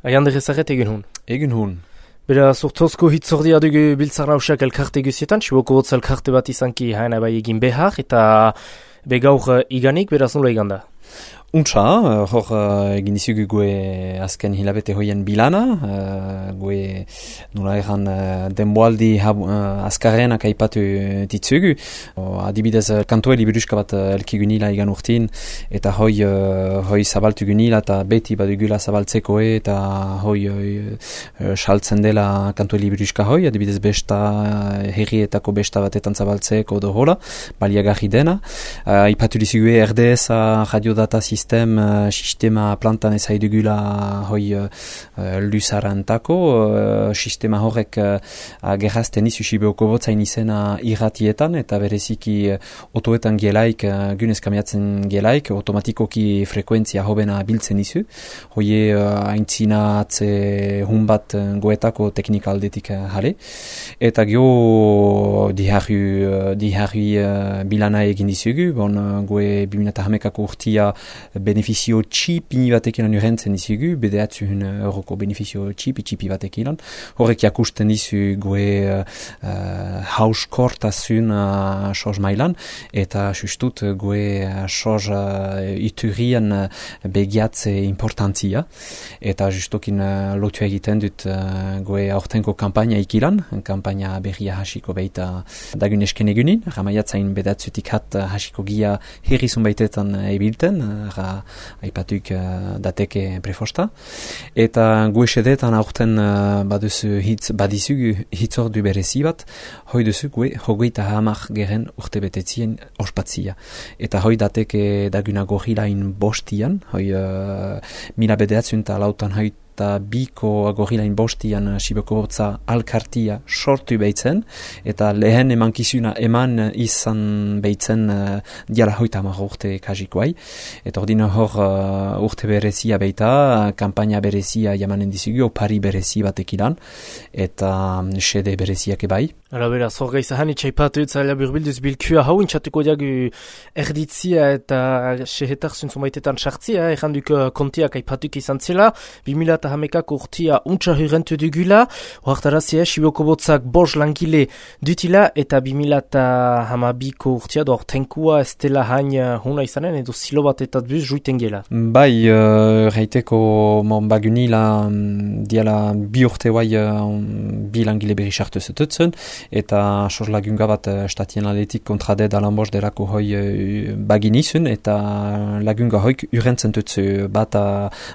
Aiander ezaget egin hun. Egin hun. Bera, sortozko hitzordia dugu biltzar nausak elkarte guzietan, Siboko Hotz elkarte bat izanki haena bai egin behar, eta begaur iganik, beraz nola iganda? Untsa, hor egin dizugu gue azken hilabete hoien bilana, gue nola egan denboaldi azkarrenak aipatu ditzugu. Adibidez, kantoeli buruska bat elkigunila igan urtin, eta hoi zabaltu gunila, eta beti badugula zabaltzeko eta hoi saltzen dela kantoeli buruska hoi, adibidez besta, herrietako besta batetan zabaltzeko do hola, baliagarri dena. Aipatu dizugu RDS radiodata sistema plantan ezaidugula hoi lusarantako, sistema horrek gerrazten izu Siboko Hotzain izena irratietan, eta bereziki otoetan gelaik, gunez kamiatzen gelaik, automatikoki frekuentzia hobena biltzen izu. Hoi aintzinatze hun bat goetako teknika aldetik jale. Eta geho diharri bilana egin dizugu, goe 2008ako urtia benefizio txipi batekin urentzen dizugu, bedeatzun euroko benefizio txipi batekin. Horrek jakusten dizu goe hauskortasun soz mailan, eta justut goe soz iturrian begiatze importantzia, eta justokin lotu egiten dut goe aurtenko kampaina ikilan, kampaina berria hasiko baita dagun esken egunin, ramaiatzain bedatzutik hat hasiko gia herrizun baitetan ebilten, aipatuk dateke prefosta. Eta gu esedetan aurten badizugu hitzordu berezi bat, hoi duzu gue hogeita hamar geren urte betetzien ospatzia. Eta hoi dateke daguna gorilain bostian, hoi mila bedeatzun eta lautan hoi eta biko agorilain bostian Siboko Hotza alkartia sortu behitzen, eta lehen emankizuna eman izan behitzen diala hoita hamar urte kajikoai. Eta ordina hor urte berezia beita, kampaina berezia jamanen dizugu, opari berezi batekilan, eta sede bereziak ebai. Hala beraz, hor gaizahan itxaipatu zaila burbilduz bilkua hau intxatuko diagu erditzia eta sehetar zuntzumbaitetan sartzia, erranduk kontiak aipatuk izan zela, 2008ak urtia untsa hurrentu dugula, hoartarazia Siboko Hotzak bos langile dutila, eta 2008ko urtia doar tenkua ez dela hain hona izanen, edo zilo bat eta buz juiten gela. Bai, reiteko bagunila diala bi urte guai bi langile berri sartu zututzen, eta sos lagunga bat statien aletik kontraded alanbos derako hoi bagin izun, eta lagunga hoik urentzen tutzu bat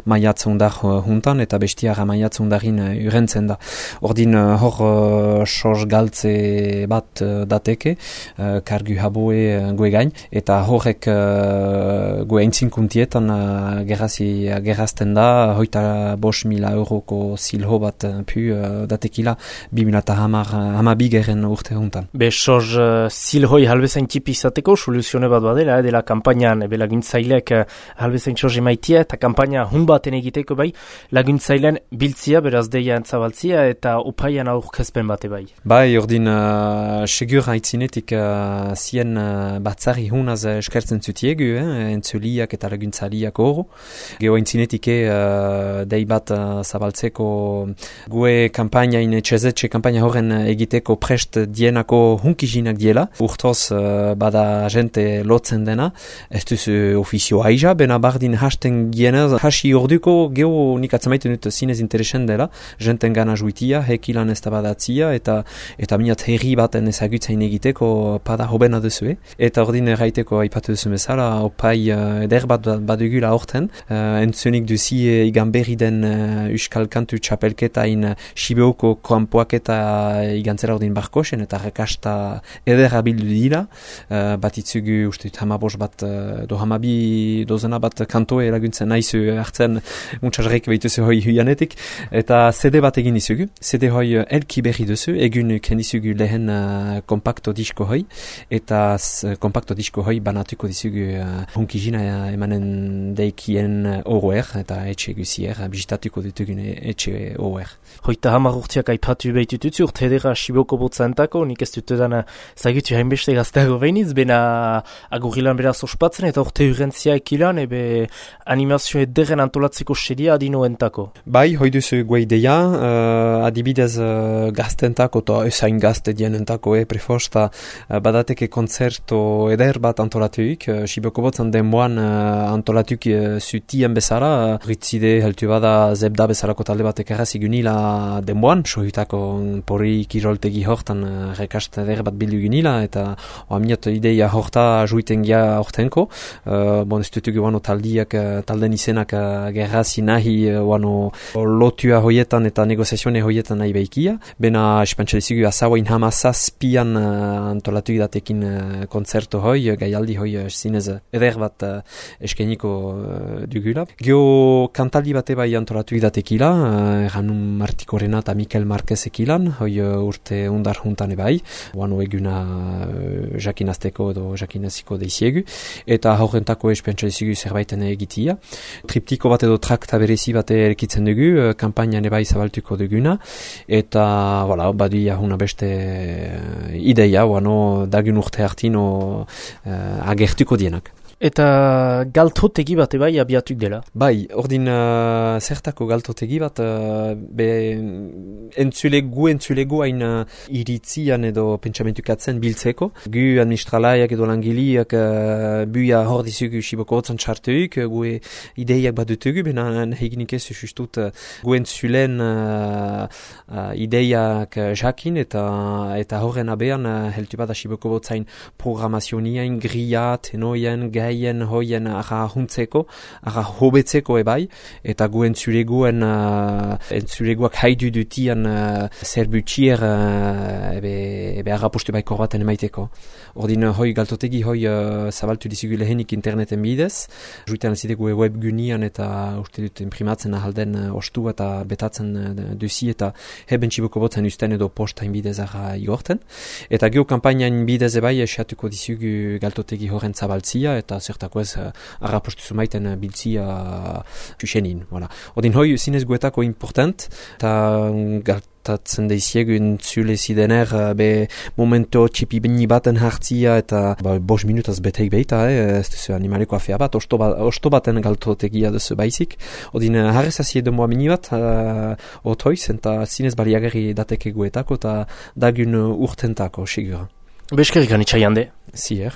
maiatzundar juntan, eta bestiara maiatzundarin urentzen da. Ordin hor sos galtze bat dateke, kargu haboe goe gain, eta horrek goe entzinkuntietan gerazten da, hoita 5.000 euroko zilho bat pu datekila 2010 geren urte hontan. Be, soz zilhoi halbezain tipi izateko, soluzione bat badela, dela kampainan, ebe laguntzaileak halbezain soz emaitia, eta kampaina hun baten egiteko bai, laguntzailean biltzia, beraz deia entzabaltzia, eta opaian aurkezpen bate bai. Bai, ordin, segur haitzinetik zien batzari hunaz eskertzen zutiegu, entzuliak eta laguntzaliak oro. Geho haitzinetik dei bat zabaltzeko gue kampainain, etxezetxe kampaina horren egiteko prest dienako hunkizinak diela. Urtoz bada jente lotzen dena, ez duzu ofizio aiza, bena bardin hasten gienez, hasi orduko geho nik atzamaiten dut zinez interesen dela, jenten gana juitia, hekilan ez da badatzia, eta minat herri baten ezagutzain egiteko pada hobena duzue. Eta ordin erraiteko aipatu duzu bezala, opai eder bat badugula orten, entzunik duzie igan berri den Euskal Kantu txapelketain Sibeoko kanpoak eta igantzera ordin barkosen, eta rekasta eder abildu dira, bat itzugu ustut hamabos bat, do hamabi dozena bat kantoe laguntzen naizu hartzen muntzazrek behituzu hoi huianetik, eta CD bat egin dizugu, CD hoi elki berri duzu, egun ken dizugu lehen kompakto disko hoi, eta kompakto disko hoi banatuko dizugu hunkizina emanen deikien oroer, eta etxe guzier, bizitatuko ditugun etxe oroer. Hoita hamar urtiak aipatu behitututzu, urte edera Siboko botza entako, nik ez dutetan zagutu hainbeste gazteago behinitz, bena agurrilan beraz ospatzen, eta orte urrentzia ekilan, ebe animazio ederren antolatzeko sedia adino entako. Bai, hoi duzu gue ideia, adibidez gaztentako, eta ezain gazte dienentako, prefosta, badateke konzerto eder bat antolatuik, Siboko botzan denboan antolatuik zutien bezala, ritzide heltu bada zebda bezalako talde batek errazigunila denboan, sohitako pori kiroltegi hortan rekast eder bat bildu gunila, eta oamiot ideia horta juiten gia hortenko, ez dutugu wano talden izenak gerrazi nahi wano lotua hoietan eta negoziazione hoietan nahi behikia, bena espantxelizigu azauain hamazazpian antolatu datekin konzerto hoi, gaialdi hoi zinez eder bat eskeniko dugula. Geo kantaldi bate bai antolatu datekila, Ranun Martikorena eta Mikel Marquez ekilan, hoi urte undar juntan ebai, wano eguna jakinazteko edo jakinaziko deiziegu, eta horrentako espentsalizigu zerbaiten egitia. Triptiko bat edo trakta berezi bat erkitzen dugu, kampainan ebai zabaltuko duguna, eta badi ahuna beste ideia, wano dagun urte hartino agertuko dienak. Eta galtotegi bat ebai abiatuk dela? Bai, ordin zertako galtotegi bat, entzulego hain iritzian edo pentsamentukatzen biltzeko. Gu administralaiak edo langiliak buia hor dizugu Siboko hotzan txartuik, gu ideiak bat dutugu, bena heginik ez justut gu entzulen ideiak jakin eta horren abean heltu bat Siboko hotzain programazioniain, gria, tenoien, gaien hoien ara huntzeko, ara hobetzeko ebai, eta gu entzuleguak haidu dutian zerbutxier ebe arrapustu baiko baten emaiteko. Ordin hoi galtotegi hoi zabaltu dizigu lehenik interneten bidez, juitean zidegu webgunian eta uste dut imprimatzen ahalden ostu eta betatzen duzi eta heben Siboko botzen usten edo postain bidez ara igorten. Eta geo kampainan bidez ebai esatuko dizigu galtotegi horren zabaltzia eta zertako ez arrapostu zumaiten biltzia txusenin. Odin hoi zinez guetako important, eta galtatzen deiziegu entzule zidener momento txipi bini baten hartzia, eta 5 minutaz beteik behita, ez duzu animaleko afea bat, osto baten galtotegia duzu baizik. Odin harrezazie demoa mini bat, otoiz, eta zinez baliagarri dateke guetako, eta dagun urtentako, sigura. Beskerik anitxai hande. Zier.